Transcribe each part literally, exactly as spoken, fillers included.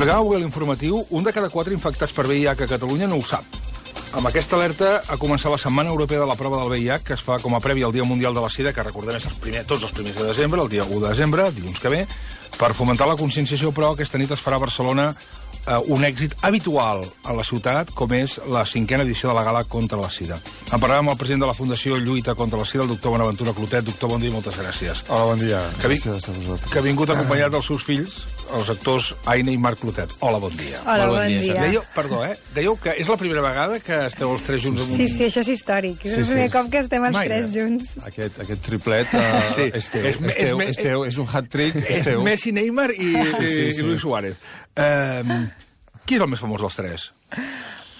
explicava avui a l'informatiu, un de cada quatre infectats per V I H a Catalunya no ho sap. Amb aquesta alerta ha començat la Setmana Europea de la Prova del V I H, que es fa com a prèvia al Dia Mundial de la Sida, que recordem és el primer, tots els primers de desembre, el dia u de desembre, dilluns que ve, per fomentar la conscienciació, però aquesta nit es farà a Barcelona eh, un èxit habitual a la ciutat, com és la cinquena edició de la Gala contra la Sida. En parlàvem amb el president de la Fundació Lluita contra la Sida, el doctor Bonaventura Clotet. Doctor, bon dia i moltes gràcies. Hola, bon dia. Que, vi... Gràcies a vosaltres. Que ha vingut acompanyat dels seus fills, els actors Aina i Marc Clotet. Hola, bon dia. Hola, bon, bon dia. dia. Dèieu, perdó, eh? Dèieu que és la primera vegada que esteu els tres junts en un... Sí, sí, això és històric. És sí, el primer sí. cop que estem els Mai, tres eh? junts. Aquest, aquest triplet uh, sí. és teu, és, és, teu, és, teu, és un hat-trick, és, és teu. Messi, Neymar i, sí, sí, sí. i Luis Suárez. Uh, qui és el més famós dels tres?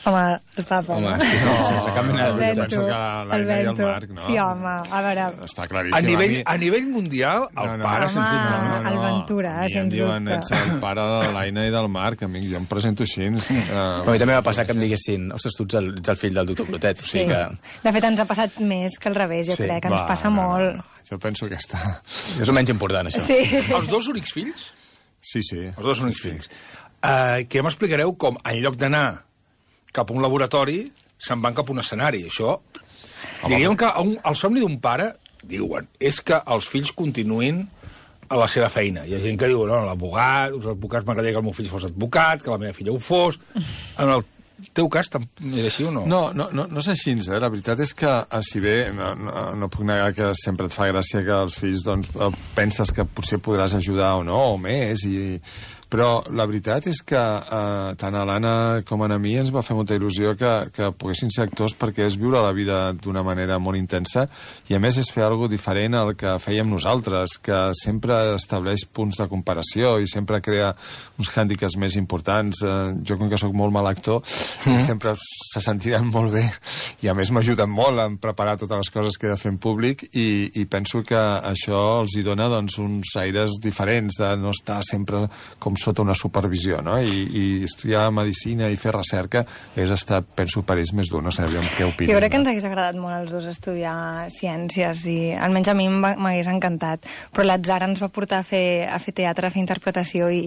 Home, el papa. Home, sí, sí, sense cap mena de dubte. Penso que l'Aina i el Marc, no? Sí, home, a veure... Està claríssim. A nivell, a nivell mundial, el no, no, pare, home, sens dubte. No, no, el Ventura, a mi sens em diuen, dubte. ets el pare de l'Aina i del Marc, amic, jo em presento així. Uh, a mi també va passar que em diguessin, ostres, tu ets el, ets el fill del doctor Clotet. O sigui sí. que... De fet, ens ha passat més que al revés, jo sí. crec, ens va, passa no, molt. No, no. Jo penso que està... És el menys important, això. Sí. Els dos únics fills? Sí, sí. Els dos únics fills. Uh, que m'explicareu com, en lloc d'anar cap a un laboratori, se'n van cap a un escenari. Això, diríem que un, el somni d'un pare, diuen, és que els fills continuïn a la seva feina. Hi ha gent que diu, no, l'abogat, els advocats m'agradaria que el meu fill fos advocat, que la meva filla ho fos. En el teu cas, és així o no? No, no, no, no és així, eh? La veritat és que, si bé, no, no, no puc negar que sempre et fa gràcia que els fills, doncs, penses que potser podràs ajudar o no, o més, i... Però la veritat és que eh, tant a l'Anna com a mi ens va fer molta il·lusió que, que poguessin ser actors, perquè és viure la vida d'una manera molt intensa i a més és fer alguna cosa diferent al que fèiem nosaltres, que sempre estableix punts de comparació i sempre crea uns hàndicaps més importants. Eh, jo, com que sóc molt mal actor, mm. sempre se sentiran molt bé i a més m'ajuden molt en preparar totes les coses que he de fer en públic i, i penso que això els hi dona doncs, uns aires diferents de no estar sempre com sota una supervisió, no? I, i estudiar medicina i fer recerca és estar, penso, per ells més dur, no sé què opinen. Jo crec que ens hagués agradat molt als dos estudiar ciències i almenys a mi m'hagués encantat, però l'atzar ens va portar a fer, a fer teatre, a fer interpretació i,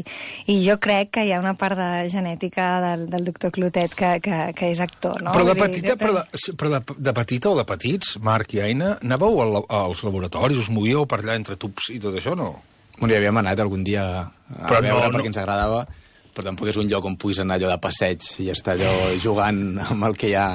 i jo crec que hi ha una part de genètica del, del doctor Clotet que, que, que és actor, no? Però de petita, però, de, però de, de petita o de petits, Marc i Aina, anàveu al, als laboratoris, us movíeu per allà entre tubs i tot això, no? Bueno, hi havíem anat algun dia a però veure no, perquè no. ens agradava, però tampoc és un lloc on puguis anar allò de passeig i estar allò jugant amb el que hi ha,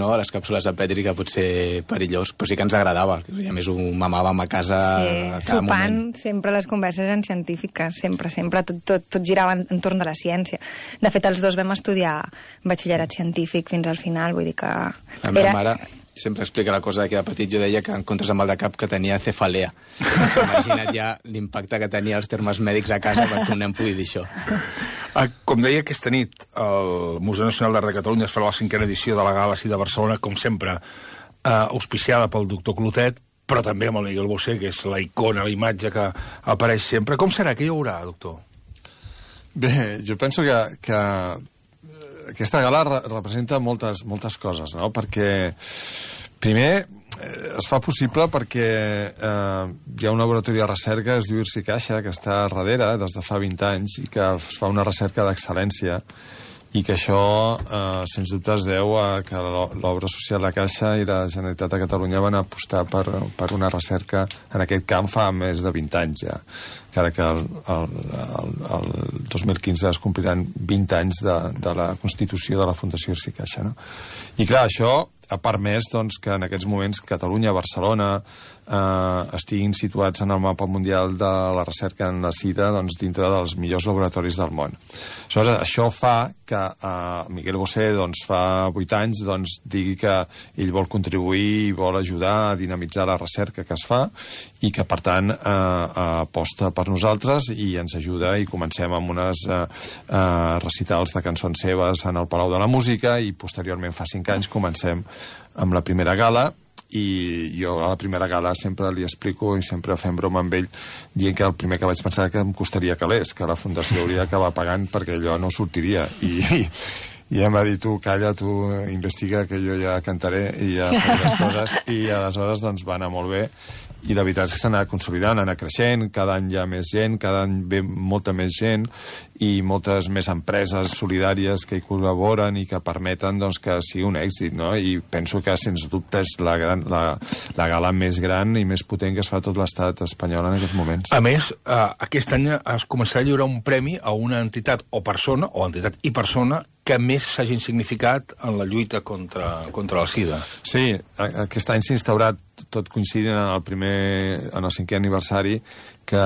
no? A les càpsules de Petri, que pot ser perillós, però sí que ens agradava. A més, ho mamàvem a casa sí, a cada sopant, moment. sempre les converses eren científiques, sempre, sempre, tot, tot, tot girava entorn de la ciència. De fet, els dos vam estudiar batxillerat científic fins al final, vull dir que... La meva mare sempre explica la cosa que de petit jo deia que en comptes amb el de cap que tenia cefalea. Imagina't ja l'impacte que tenia els termes mèdics a casa perquè un nen pugui dir això. Com deia, aquesta nit el Museu Nacional d'Art de Catalunya es farà la cinquena edició de la Gala de Barcelona, com sempre, eh, auspiciada pel doctor Clotet, però també amb el Miguel Bosé, que és la icona, la imatge que apareix sempre. Com serà? Què hi haurà, doctor? Bé, jo penso que, que aquesta gala re representa moltes, moltes coses, no? Perquè, primer, eh, es fa possible perquè eh, hi ha un laboratori de recerca, es diu Irsi Caixa, que està darrere des de fa vint anys i que es fa una recerca d'excel·lència i que això, eh, sens dubte, es deu a que l'obra social de Caixa i la Generalitat de Catalunya van apostar per, per una recerca en aquest camp fa més de vint anys ja, encara que el, el, el, el dos mil quinze es compliran vint anys de, de la constitució de la Fundació Irsi Caixa, no? I clar, això ha permès doncs, que en aquests moments Catalunya, Barcelona, eh, estiguin situats en el mapa mundial de la recerca en la sida doncs, dintre dels millors laboratoris del món. Aleshores, això fa que eh, Miguel Bosé doncs, fa vuit anys doncs, digui que ell vol contribuir i vol ajudar a dinamitzar la recerca que es fa i que, per tant, eh, aposta per nosaltres i ens ajuda i comencem amb unes eh, eh, recitals de cançons seves en el Palau de la Música i posteriorment fa cinc anys comencem amb la primera gala i jo a la primera gala sempre li explico i sempre fem broma amb ell dient que el primer que vaig pensar que em costaria calés, que la Fundació hauria d'acabar pagant perquè allò no sortiria i, i, i em va dir tu calla, tu investiga que jo ja cantaré i ja faré les coses i aleshores doncs va anar molt bé i la veritat és que s'ha anat consolidant, ha anat creixent, cada any hi ha més gent, cada any ve molta més gent i moltes més empreses solidàries que hi col·laboren i que permeten doncs, que sigui un èxit, no? I penso que, sens dubte, és la, gran, la, la gala més gran i més potent que es fa a tot l'estat espanyol en aquests moments. A més, eh, aquest any es començarà a lliurar un premi a una entitat o persona, o entitat i persona, que més s'hagin significat en la lluita contra, contra la sida. Sí, aquest any s'ha instaurat, tot coincidint en el primer, en el cinquè aniversari, que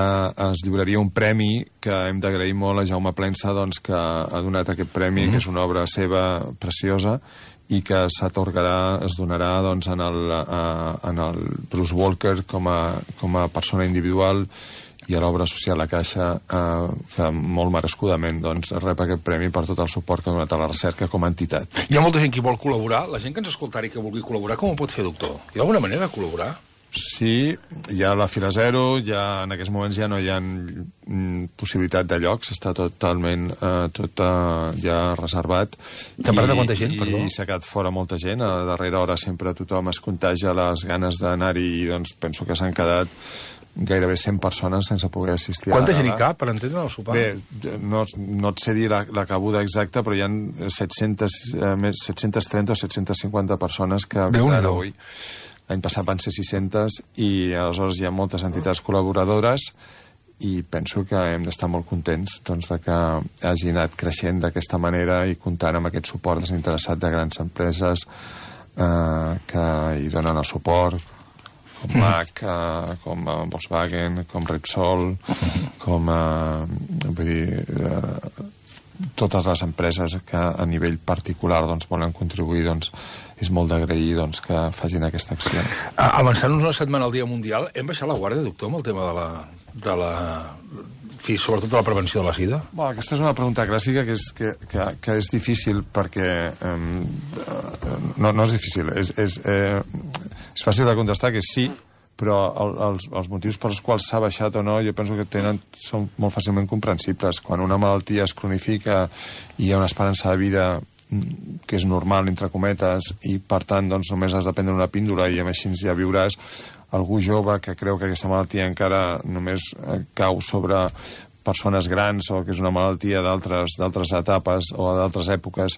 es lliuraria un premi que hem d'agrair molt a Jaume Plensa, doncs, que ha donat aquest premi, mm. que és una obra seva preciosa, i que s'atorgarà, es donarà doncs, en, el, a, en el Bruce Walker com a, com a persona individual i a l'obra social La Caixa, eh, que molt merescudament doncs, rep aquest premi per tot el suport que ha donat a la recerca com a entitat. Hi ha molta gent que vol col·laborar. La gent que ens escoltarà i que vulgui col·laborar, com ho pot fer, doctor? Hi ha alguna manera de col·laborar? Sí, hi ha la Fira Zero, ja, en aquests moments ja no hi ha mm, possibilitat de llocs, està totalment eh, tot eh, ja reservat. T'ha parlat de quanta gent, perdó? I s'ha quedat fora molta gent, a darrera hora sempre tothom es contagia les ganes d'anar-hi i doncs penso que s'han quedat gairebé cent persones sense poder assistir. Quanta gent hi cap, per entendre el sopar? Bé, no, no et sé dir la, la cabuda exacta, però hi ha set-centes, eh, set-cents trenta o set-cents cinquanta persones que vindran avui. L'any passat van ser sis-centes i aleshores hi ha moltes entitats col·laboradores i penso que hem d'estar molt contents doncs, de que hagi anat creixent d'aquesta manera i comptant amb aquest suport desinteressat de grans empreses eh, que hi donen el suport, com M A C, eh, com eh, Volkswagen, com Repsol, com eh, vull dir, eh, totes les empreses que a nivell particular doncs, volen contribuir, doncs, és molt d'agrair doncs, que facin aquesta acció. Avançant-nos una setmana al Dia Mundial, hem baixat la guàrdia, doctor, amb el tema de la... De la... fi, sobretot de la prevenció de la sida? Bueno, aquesta és una pregunta clàssica que és, que, que, que és difícil perquè... Eh, no, no és difícil, és, és, eh, és fàcil de contestar que sí, però el, els, els motius pels quals s'ha baixat o no jo penso que tenen, són molt fàcilment comprensibles. Quan una malaltia es cronifica i hi ha una esperança de vida que és normal, entre cometes, i per tant doncs, només has de prendre una píndola i amb així ja viuràs, algú jove que creu que aquesta malaltia encara només cau sobre persones grans o que és una malaltia d'altres d'altres etapes o d'altres èpoques,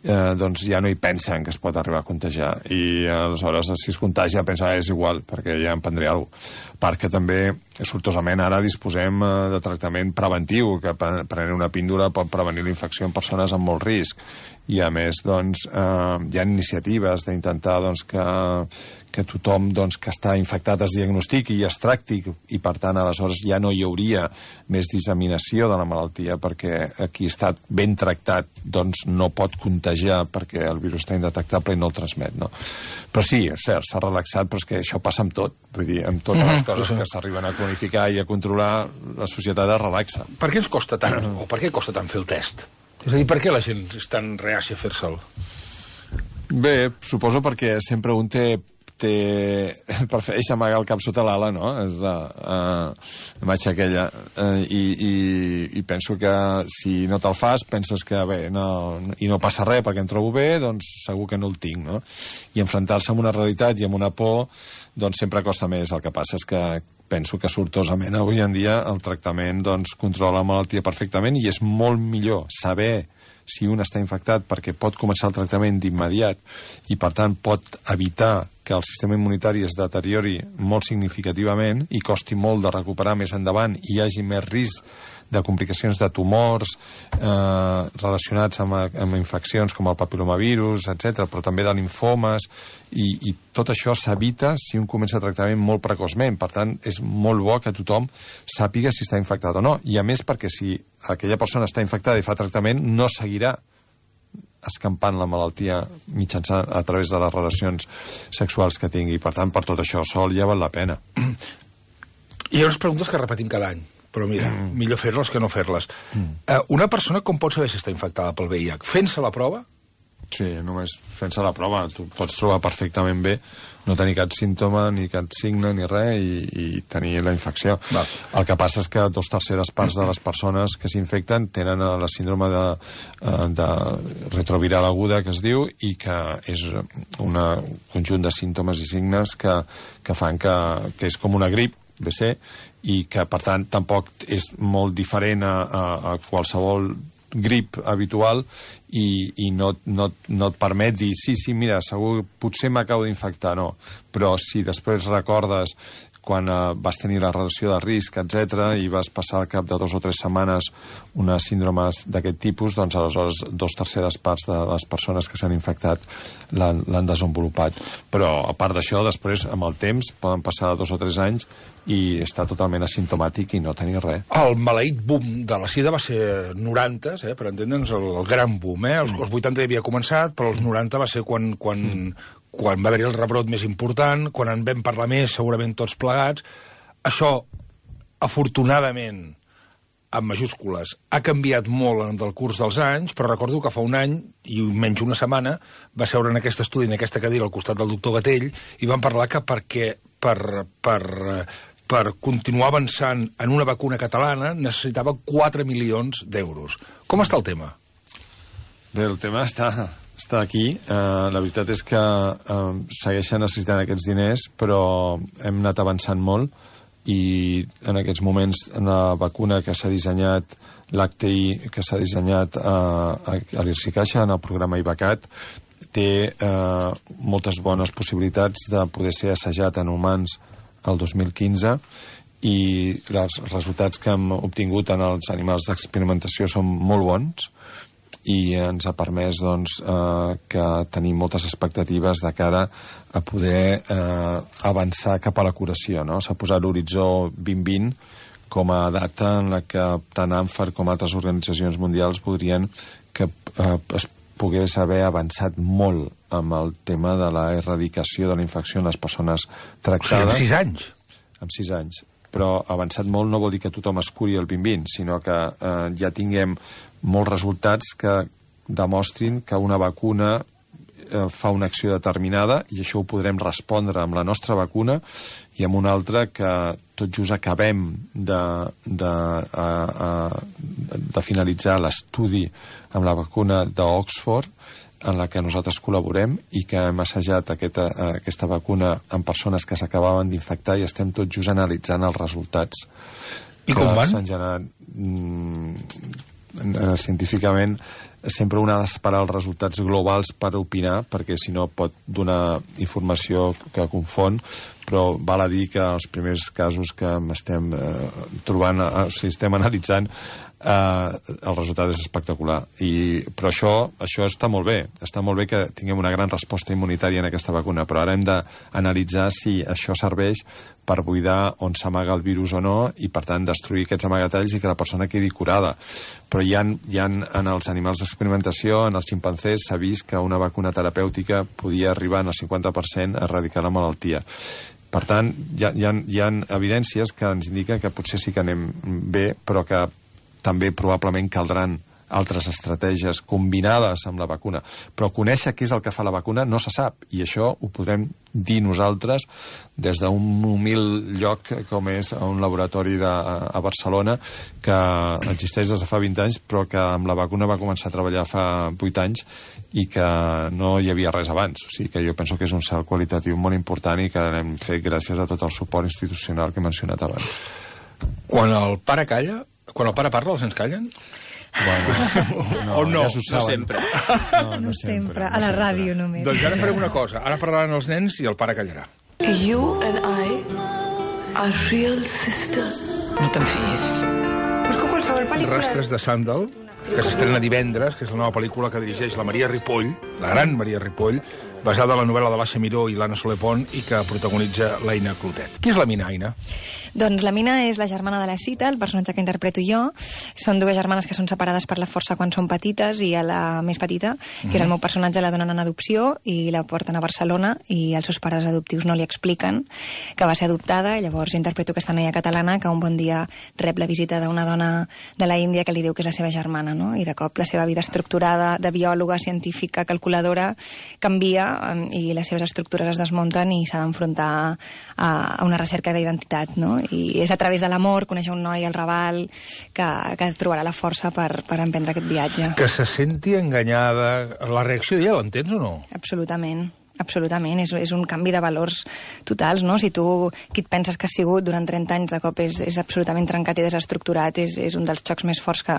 eh, doncs ja no hi pensen que es pot arribar a contagiar i aleshores si es contagia pensa que és igual perquè ja em prendré alguna cosa. Perquè també sortosament ara disposem eh, de tractament preventiu, que prenent una píndola pot prevenir la infecció en persones amb molt risc i a més doncs, eh, hi ha iniciatives d'intentar doncs, que, que tothom doncs, que està infectat es diagnostiqui i es tracti i per tant aleshores ja no hi hauria més disseminació de la malaltia perquè qui ha estat ben tractat doncs, no pot contagiar perquè el virus està indetectable i no el transmet, no? Però sí, és cert, s'ha relaxat, però és que això passa amb tot, vull dir, amb totes les coses que s'arriben a cronificar i a controlar, la societat es relaxa. Per què ens costa tant, o per què costa tant fer el test? És a dir, per què la gent és tan reàcia a fer-se'l? Bé, suposo perquè sempre un té, té prefereix amagar el cap sota l'ala, no? És la, uh, la imatge aquella. Uh, i, i, I penso que si no te'l fas, penses que bé, no, i no passa res perquè em trobo bé, doncs segur que no el tinc, no? I enfrontar-se amb una realitat i amb una por, doncs sempre costa més. El que passa és que penso que sortosament avui en dia el tractament doncs, controla la malaltia perfectament i és molt millor saber si un està infectat perquè pot començar el tractament d'immediat i per tant pot evitar que el sistema immunitari es deteriori molt significativament i costi molt de recuperar més endavant i hi hagi més risc de complicacions de tumors eh, relacionats amb, amb infeccions com el papilomavirus, etcètera, però també de linfomes, i, i tot això s'evita si un comença tractament molt precoçment. Per tant, és molt bo que tothom sàpiga si està infectat o no. I a més perquè si aquella persona està infectada i fa tractament, no seguirà escampant la malaltia mitjançant a través de les relacions sexuals que tingui. Per tant, per tot això sol ja val la pena. Hi ha unes preguntes que repetim cada any, però mira, mm. millor fer-les que no fer-les. Mm. Uh, una persona com pot saber si està infectada pel V I H? Fent-se la prova? Sí, només fent-se la prova tu pots trobar perfectament bé, no tenir cap símptoma, ni cap signe, ni res, i, i tenir la infecció. Va. El que passa és que dos terceres parts de les persones que s'infecten tenen la síndrome de, de retroviral aguda, que es diu, i que és un conjunt de símptomes i signes que, que fan que, que és com una grip, B C, i que, per tant, tampoc és molt diferent a, a, a qualsevol grip habitual, i, i no, no, no et permet dir sí, sí, mira, segur, potser m'acabo d'infectar, no. Però si després recordes quan eh, vas tenir la relació de risc, etcètera, i vas passar al cap de dos o tres setmanes una síndrome d'aquest tipus, doncs aleshores dos terceres parts de les persones que s'han infectat l'han desenvolupat. Però, a part d'això, després, amb el temps, poden passar dos o tres anys i està totalment asimptomàtic i no tenir res. El maleït boom de la sida va ser noranta, eh, per entendre'ns, el, el gran boom. Eh? Els, els vuitanta ja havia començat, però els noranta va ser quan, quan, mm. quan va haver-hi el rebrot més important, quan en vam parlar més, segurament tots plegats. Això, afortunadament, amb majúscules, ha canviat molt en el curs dels anys, però recordo que fa un any, i menys una setmana, va seure en aquest estudi, en aquesta cadira, al costat del doctor Gatell, i van parlar que perquè per, per, per continuar avançant en una vacuna catalana necessitava quatre milions d'euros. Com està el tema? Bé, el tema està, està aquí. Uh, la veritat és que uh, segueixen necessitant aquests diners, però hem anat avançant molt, i en aquests moments la vacuna que s'ha dissenyat, l'H T I que s'ha dissenyat uh, a l'IRSI-Caixa, en el programa IVACAT, té uh, moltes bones possibilitats de poder ser assajat en humans el dos mil quinze, i els resultats que hem obtingut en els animals d'experimentació són molt bons, i ens ha permès doncs, eh, que tenim moltes expectatives de cara a poder eh, avançar cap a la curació. No? S'ha posat l'horitzó vint vint com a data en la que tant ANFAR com altres organitzacions mundials voldrien que eh, es pogués haver avançat molt amb el tema de la erradicació de la infecció en les persones tractades. O sigui, en sis anys? En sis anys. Però avançat molt no vol dir que tothom es curi el vint vint, sinó que eh, ja tinguem molts resultats que demostrin que una vacuna eh, fa una acció determinada, i això ho podrem respondre amb la nostra vacuna, i amb una altra que tot just acabem de, de, a, a, de finalitzar l'estudi amb la vacuna d'Oxford, en la que nosaltres col·laborem, i que hem assajat aquesta, aquesta vacuna en persones que s'acabaven d'infectar, i estem tot just analitzant els resultats. I com van? S'han generat mm, científicament. Sempre un ha d'esperar els resultats globals per opinar, perquè si no pot donar informació que confon, però val a dir que els primers casos que estem eh, trobant, eh, si estem analitzant, eh, el resultat és espectacular. I, però això, això està molt bé. Està molt bé que tinguem una gran resposta immunitària en aquesta vacuna, però ara hem d'analitzar si això serveix per buidar on s'amaga el virus o no, i per tant destruir aquests amagatalls i que la persona quedi curada. Però hi ha, hi ha en els animals d'experimentació, en els ximpancers, s'ha vist que una vacuna terapèutica podia arribar en el cinquanta per cent a erradicar la malaltia. Per tant, hi ha, hi ha, hi ha evidències que ens indiquen que potser sí que anem bé, però que també probablement caldran altres estratègies combinades amb la vacuna. Però conèixer què és el que fa la vacuna no se sap, i això ho podrem dir nosaltres des d'un humil lloc com és un laboratori de, a Barcelona, que existeix des de fa vint anys, però que amb la vacuna va començar a treballar fa vuit anys i que no hi havia res abans. O sigui que jo penso que és un salt qualitatiu molt important i que l'hem fet gràcies a tot el suport institucional que he mencionat abans. Quan el pare calla, quan el pare parla, els nens callen? Bueno, no, o no? Ja s'ho No sempre. No, no, No sempre. sempre, a la ràdio només. Doncs ara farem una cosa. Ara parlaran els nens i el pare callarà. You and I are real sisters. No te'n fiïs. Busco qualsevol pel·lícula... Rastres de Sàndal, que s'estrena divendres, que és la nova pel·lícula que dirigeix la Maria Ripoll, la gran Maria Ripoll, basada en la novel·la de l'Aixa Miró i l'Anna Soler Pont i que protagonitza l'Aina Clotet. Qui és la Mina, Aina? Doncs la Mina és la germana de la Cita, el personatge que interpreto jo. Són dues germanes que són separades per la força quan són petites i a la més petita, que és el meu personatge, la donen en adopció i la porten a Barcelona i els seus pares adoptius no li expliquen que va ser adoptada. Llavors interpreto aquesta noia catalana que un bon dia rep la visita d'una dona de la Índia que li diu que és la seva germana, no? I de cop la seva vida estructurada de biòloga, científica, calculadora canvia i les seves estructures es desmunten i s'ha d'enfrontar a, a una recerca d'identitat, no? I és a través de l'amor conèixer un noi al Raval que, que trobarà la força per, per emprendre aquest viatge. Que se senti enganyada. La reacció d'ella l'entens o no? Absolutament. Absolutament, és, és un canvi de valors totals, no? Si tu, qui et penses que has sigut durant trenta anys, de cop és, és absolutament trencat i desestructurat, és, és un dels xocs més forts que,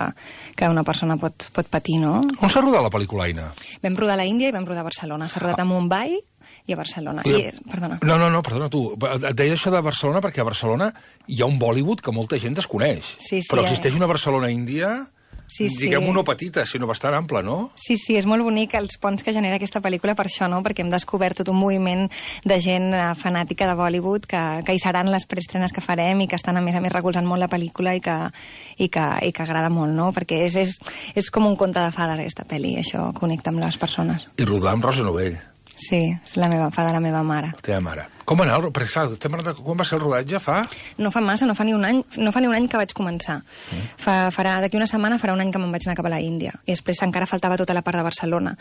que una persona pot, pot patir, no? On s'ha rodat la pel·lícula, Aina? Vam rodar a la Índia i vam rodar a Barcelona. S'ha rodat a Mumbai i a Barcelona. I, I, perdona. No, no, no, perdona, tu. Et deia això de Barcelona perquè a Barcelona hi ha un Bollywood que molta gent desconeix. Sí, sí, però eh? existeix una Barcelona-Índia... Sí, sí. Diguem-ho no petita, sinó bastant ampla, no? Sí, sí, és molt bonic els ponts que genera aquesta pel·lícula per això, no? Perquè hem descobert tot un moviment de gent eh, fanàtica de Bollywood que, que hi seran les preestrenes que farem i que estan, a més a més, recolzant molt la pel·lícula i que, i que, i que agrada molt, no? Perquè és, és, és com un conte de fades, aquesta pel·li, això connecta amb les persones. I rodar amb Rosa Novell. Sí, és la meva, fa de la meva mare. La teva mare. Com va anar? Perquè, clar, estem parlant de quan va ser el rodatge? Fa? No fa massa, no fa ni un any, no fa ni un any que vaig començar. Mm. Fa, farà, d'aquí una setmana farà un any que me'n vaig anar cap a la Índia. I després encara faltava tota la part de Barcelona.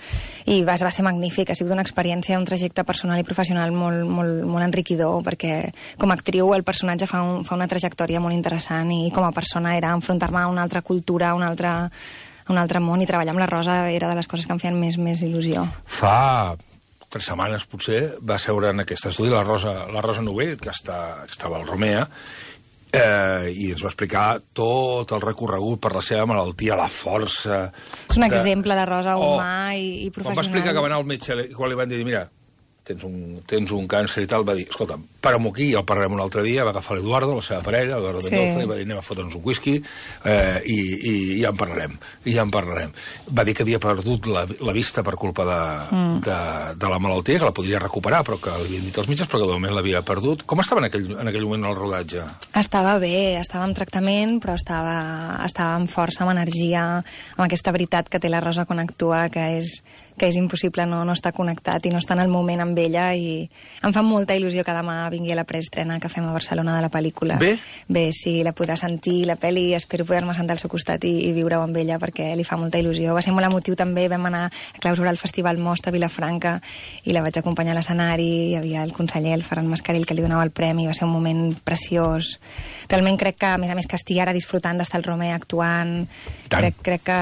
I va, va ser magnífic, ha sigut una experiència, un trajecte personal i professional molt, molt, molt enriquidor, perquè com a actriu el personatge fa, un, fa una trajectòria molt interessant i com a persona era enfrontar-me a una altra cultura, a una altra, a un altre món, i treballar amb la Rosa era de les coses que em feien més, més il·lusió. Fa tres setmanes, potser, va seure en aquest estudi la Rosa, la Rosa Novell, que, està, que estava al Romea, eh, i ens va explicar tot el recorregut per la seva malaltia, la força... És un de... exemple, la Rosa, humà oh, i, i professional. Quan va explicar que va anar al metge, quan li van dir, mira, tens un, tens un càncer i tal, va dir, escolta'm, para'm aquí, ja el parlarem un altre dia, va agafar l'Eduardo, la seva parella, Eduardo Sí. Mendoza, i va dir, anem a fotre'ns un whisky, eh, i, i, i ja en parlarem, i ja en parlarem. Va dir que havia perdut la, la vista per culpa de, mm. de, de la malaltia, que la podria recuperar, però que li havien dit els metges, però que de moment l'havia perdut. Com estava en aquell, en aquell moment el rodatge? Estava bé, estava en tractament, però estava, estava amb força, amb energia, amb aquesta veritat que té la Rosa quan actua, que és, que és impossible no, no estar connectat i no estar en el moment amb ella, i em fa molta il·lusió que demà vingui a la preestrena que fem a Barcelona de la pel·lícula. Bé? Bé, sí, la podrà sentir, la pel·li, espero poder-me sentar al seu costat i, i viure-ho amb ella, perquè li fa molta il·lusió. Va ser molt emotiu també, vam anar a clausurar el Festival Most a Vilafranca i la vaig acompanyar a l'escenari, hi havia el conseller, el Ferran Mascarell, que li donava el premi, va ser un moment preciós. Realment crec que, a més a més, que estigui ara disfrutant d'estar al Romea actuant, crec, crec que,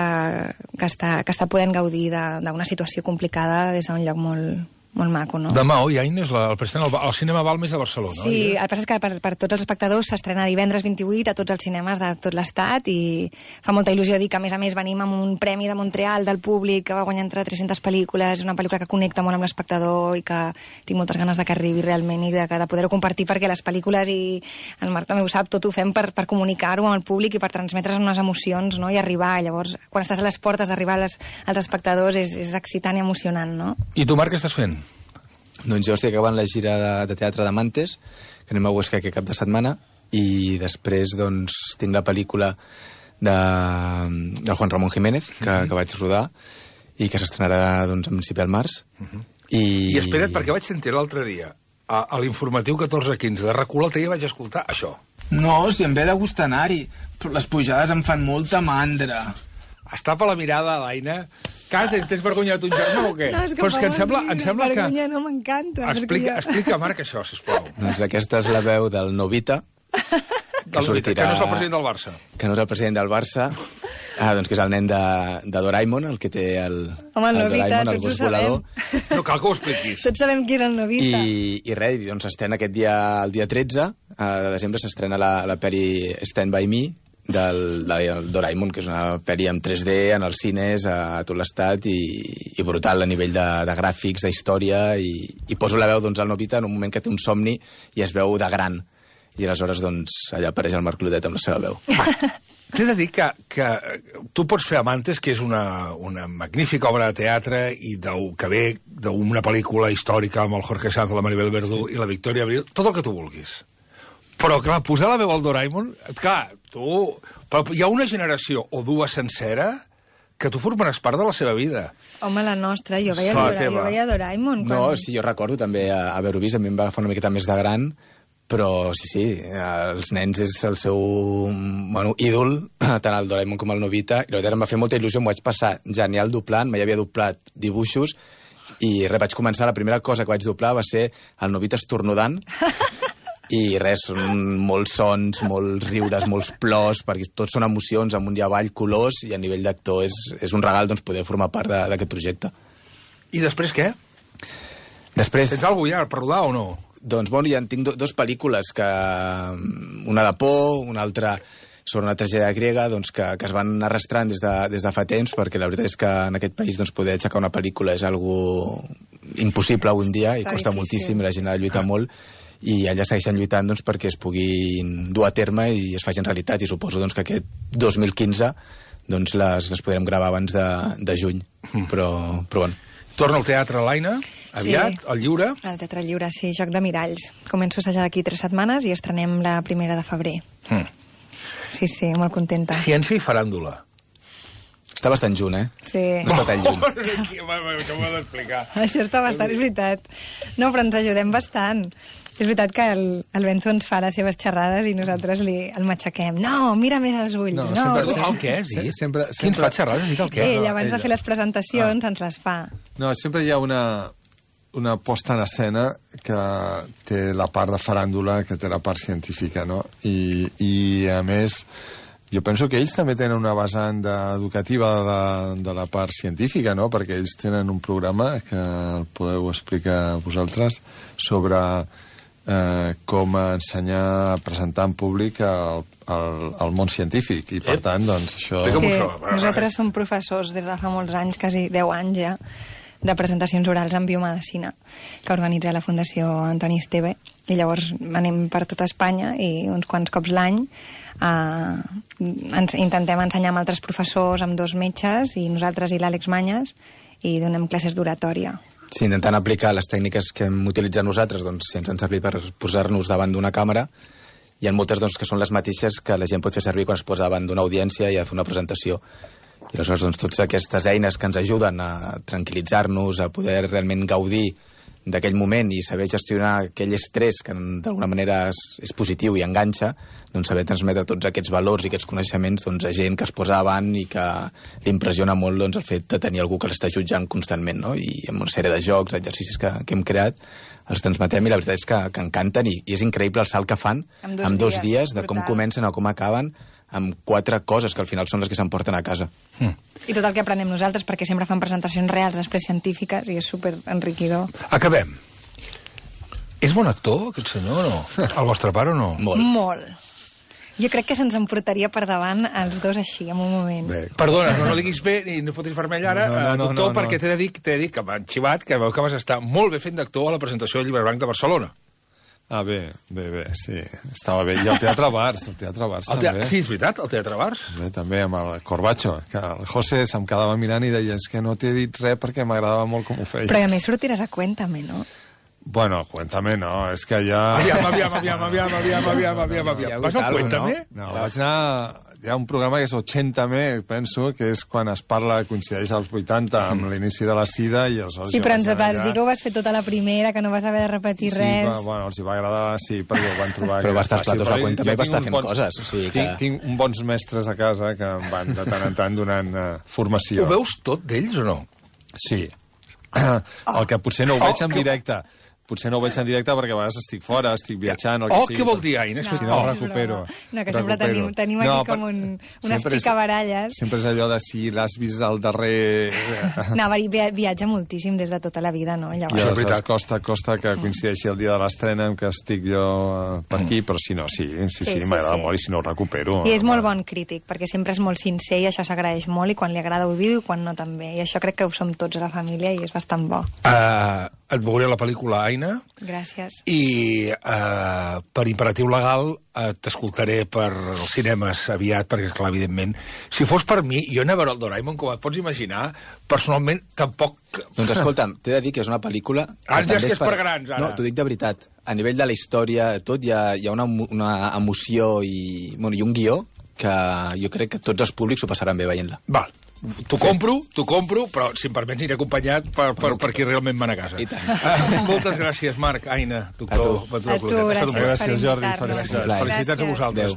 que, està, que està podent gaudir d'una situació complicada des d'un lloc molt, molt maco, no? Demà, oi, Aina, és la, el president al, al cinema Balmes de Barcelona, sí, oi? Sí, el que passa és que per, per tots els espectadors s'estrena divendres vint-i-vuit a tots els cinemes de tot l'estat i fa molta il·lusió dir que, a més a més, venim amb un premi de Montreal del públic que va guanyar entre tres-centes pel·lícules, una pel·lícula que connecta molt amb l'espectador i que tinc moltes ganes de que arribi realment i de, de poder-ho compartir, perquè les pel·lícules, i el Marc també ho sap, tot ho fem per, per comunicar-ho amb el públic i per transmetre's unes emocions, no?, i arribar. Llavors, quan estàs a les portes d'arribar als, als espectadors és, és excitant i emocionant, no? I tu, Marc, què estàs fent? Doncs jo estic acabant la gira de, de teatre de Mantes, que anem a Huesca aquest cap de setmana, i després doncs, tinc la pel·lícula de, de Juan Ramón Jiménez, que, uh-huh. que vaig rodar, i que s'estrenarà doncs, a principi del març. Uh-huh. I... I espera't, perquè vaig sentir l'altre dia, a, a l'informatiu catorze quinze de RAC u, l'altre dia vaig escoltar això. No, si em ve de gust anar-hi, però les pujades em fan molta mandra. Es tapa la mirada, l'Aina. Cara, tens, tens vergonya de ton germà o què? No, és que però és que em sembla, em sembla que... vergonya no m'encanta. Explica, explica, Marc, això, sisplau. Doncs aquesta és la veu del Novita, que, Del, sortirà... que no és el president del Barça. Que no és el president del Barça, ah, doncs que és el nen de, de Doraemon, el que té el, Home, el el Novita, Doraemon, el tots ho gos volador. sabem. No cal que ho expliquis. Tots sabem qui és el Novita. I, i res, doncs s'estrena aquest dia, el dia tretze de desembre, s'estrena la, la peli Stand By Me, del, del Doraemon, que és una pel·li en tres D, en els cines, a tot l'estat, i, i brutal a nivell de, de gràfics, d'història, i, i poso la veu doncs, al Novita en un moment que té un somni i es veu de gran. i aleshores doncs, allà apareix el Marc Clotet amb la seva veu. T'he de dir que, que tu pots fer Amantes, que és una, una magnífica obra de teatre i del, que ve d'una pel·lícula històrica amb el Jorge Sanz, la Maribel Verdú sí. i la Victòria Abril, tot el que tu vulguis. Però, clar, posar la veu al Doraemon, clar, tu... Però hi ha una generació o dues sencera que tu formaràs part de la seva vida. Home, la nostra, jo veia, La Dora, teva. jo veia Doraemon. Quan... No, sí, jo recordo també a- haver-ho vist, a mi em va agafar una miqueta més de gran, però sí, sí, els nens és el seu bueno, ídol, tant el Doraemon com el Nobita, i la veritat em va fer molta il·lusió, m'ho vaig passar genial doblant, mai havia doblat dibuixos, i res, vaig començar, la primera cosa que vaig doblar va ser el Nobita estornudant, i res, són molts sons, molts riures, molts plors, perquè tots són emocions, amunt i avall, colors, i a nivell d'actor és, és un regal doncs, poder formar part de- d'aquest projecte. I després què? Després... Tens alguna cosa ja per rodar o no? Doncs, bueno, ja en tinc do, dos pel·lícules, que una de por, una altra sobre una tragèdia grega, doncs, que, que es van arrastrant des de, des de fa temps, perquè la veritat és que en aquest país doncs, poder aixecar una pel·lícula és algo impossible avui en dia, i Està costa difícil. moltíssim, i la gent ha de lluitar molt, i allà segueixen lluitant doncs, perquè es puguin dur a terme i es facin realitat, i suposo doncs, que aquest dos mil quinze doncs, les, les podrem gravar abans de, de juny, però, però bueno. Torna al teatre l'Aina, aviat, Sí. al Lliure. Al Teatre Lliure, sí, Joc de Miralls. Començo a assajar d'aquí tres setmanes i estrenem la primera de febrer. Mm. Sí, sí, molt contenta. Ciència i faràndula. Està bastant junt, eh? Sí. No està tan lluny. Què m'ho has d'explicar? Això està bastant, és veritat. No, però ens ajudem bastant. És veritat que el, el Benzo ens fa les seves xerrades i nosaltres li, el matxaquem. No, mira més els ulls. No, No, sempre- no. El què, sí? Sí, sempre- Qui ens sempre- fa xerrades? Dic el què? Ell, no, abans ella. de fer les presentacions, ens les fa. No, sempre hi ha una, una posta en escena que té la part de faràndula, que té la part científica, no? I, i a més, jo penso que ells també tenen una vessant de, educativa de la, de la part científica, no? Perquè ells tenen un programa que el podeu explicar vosaltres sobre eh, com ensenyar a presentar en públic el, el, el món científic. I, per tant, doncs, això... Explica'm Sí, això. nosaltres som professors des de fa molts anys, quasi deu anys ja, de presentacions orals en biomedicina, que organitza la Fundació Antoni Esteve. I llavors anem per tota Espanya i uns quants cops l'any eh, ens intentem ensenyar amb altres professors, amb dos metges, i nosaltres i l'Àlex Manyes, i donem classes d'oratòria. Sí, intentant aplicar les tècniques que hem utilitzat nosaltres, doncs, si ens han servit per posar-nos davant d'una càmera, hi ha moltes doncs, que són les mateixes que la gent pot fer servir quan es posa davant d'una audiència i ha de fer una presentació. I aleshores, doncs, totes aquestes eines que ens ajuden a tranquil·litzar-nos, a poder realment gaudir d'aquell moment i saber gestionar aquell estrès que d'alguna manera és, és positiu i enganxa, doncs saber transmetre tots aquests valors i aquests coneixements doncs, a gent que es posa davant i que li impressiona molt doncs, el fet de tenir algú que l'està jutjant constantment, no? I amb una sèrie de jocs, exercicis que, que hem creat, els transmetem i la veritat és que, que encanten i, i és increïble el salt que fan En dos en dos dies, dies, de com brutal. comencen a com acaben, amb quatre coses que al final són les que s'emporten a casa. Mm. I tot el que aprenem nosaltres, perquè sempre fan presentacions reals, després científiques, i és super enriquidor. Acabem. És bon actor, aquest senyor, o no? El vostre pare o no? Molt. Molt. Jo crec que se'ns emportaria per davant els dos així, en un moment. Bé, Perdona, no, no diguis bé ni no fotis vermell ara, No, no, eh, no, doctor, no, no. perquè t'he de dir, t'he de dir que m'han xivat que veu que vas estar molt bé fent d'actor a la presentació del Llibre Blanc de Barcelona. ah, bé, bé, bé, sí. Estava bé. I el Teatre Bars, el Teatre Bars El te... també. Sí, és veritat, el Teatre Bars. Bé, també amb el Corbacho, que el José se'm quedava mirant i deia és que no t'he dit res perquè m'agradava molt com ho feies. Però a més sortiràs a Cuéntame, no? Bueno, cuéntame, no, és que ja... Aviam, aviam, aviam, aviam, aviam, aviam, aviam, Hi ha aviam. Vas al hagut alguna, Cuéntame? No, vaig anar... Hi ha un programa que és ochenta-me, penso, que és quan es parla, coincideix als vuitanta, amb l'inici de la sida, i aleshores... Sí, jo però vaig ens anar vas allà. dir que ho vas fer tota la primera, que no vas haver de repetir Sí, res. però, bueno, els hi va agradar, sí, perquè ho van trobar... Però que va estar era fàcil. als platos de Però Cuéntame, jo va tinc estar uns fent bons- coses, o sigui que- Tinc, tinc uns bons mestres a casa que em van de tant en tant donant uh, formació. Ho veus tot d'ells o no? Sí. El que potser no ho veig en directe. Potser no ho veig en directe perquè a vegades estic fora, estic viatjant, el que Oh, sigui. què vol dir, Aina? No, Si no, és recupero. broma. No, que sempre recupero. tenim- tenim aquí com un- unes sempre és- picabaralles. Sempre és allò de si l'has vist al darrer... No, va, via- viatja moltíssim des de tota la vida, no? I Llavors. és aleshores veritat. costa, costa que coincideixi el dia de l'estrena en què estic jo eh, per aquí, però si no, sí, sí, sí, Sí, sí, m'agrada sí. molt i si no ho recupero. I és eh, molt bon crític, perquè sempre és molt sincer i això s'agraeix molt, i quan li agrada ho diu i quan no també. I això crec que ho som tots a la família i és bastant bo. Uh, et veuré la pel·lícula Aina. Gràcies. I eh, per imperatiu legal eh, t'escoltaré per els cinemes aviat, perquè, esclar, evidentment, si fos per mi, jo anar a veure el Doraemon, com et pots imaginar, personalment, tampoc... Doncs escolta'm, t'he de dir que és una pel·lícula... Ara ja és que és per grans, ara. No, t'ho dic de veritat. A nivell de la història, tot, hi ha, hi ha una, una emoció i, bueno, i un guió que jo crec que tots els públics ho passaran bé veient-la. Val. T'ho compro, t'ho compro, però si em permets aniré acompanyat per, per, per qui realment van a casa. I tant. Uh, moltes gràcies, Marc, Aina, doctor. A tu. A tu, gràcies, Gràcies, Jordi, per invitar-nos. felicitats. Felicitats a vosaltres. Adéu.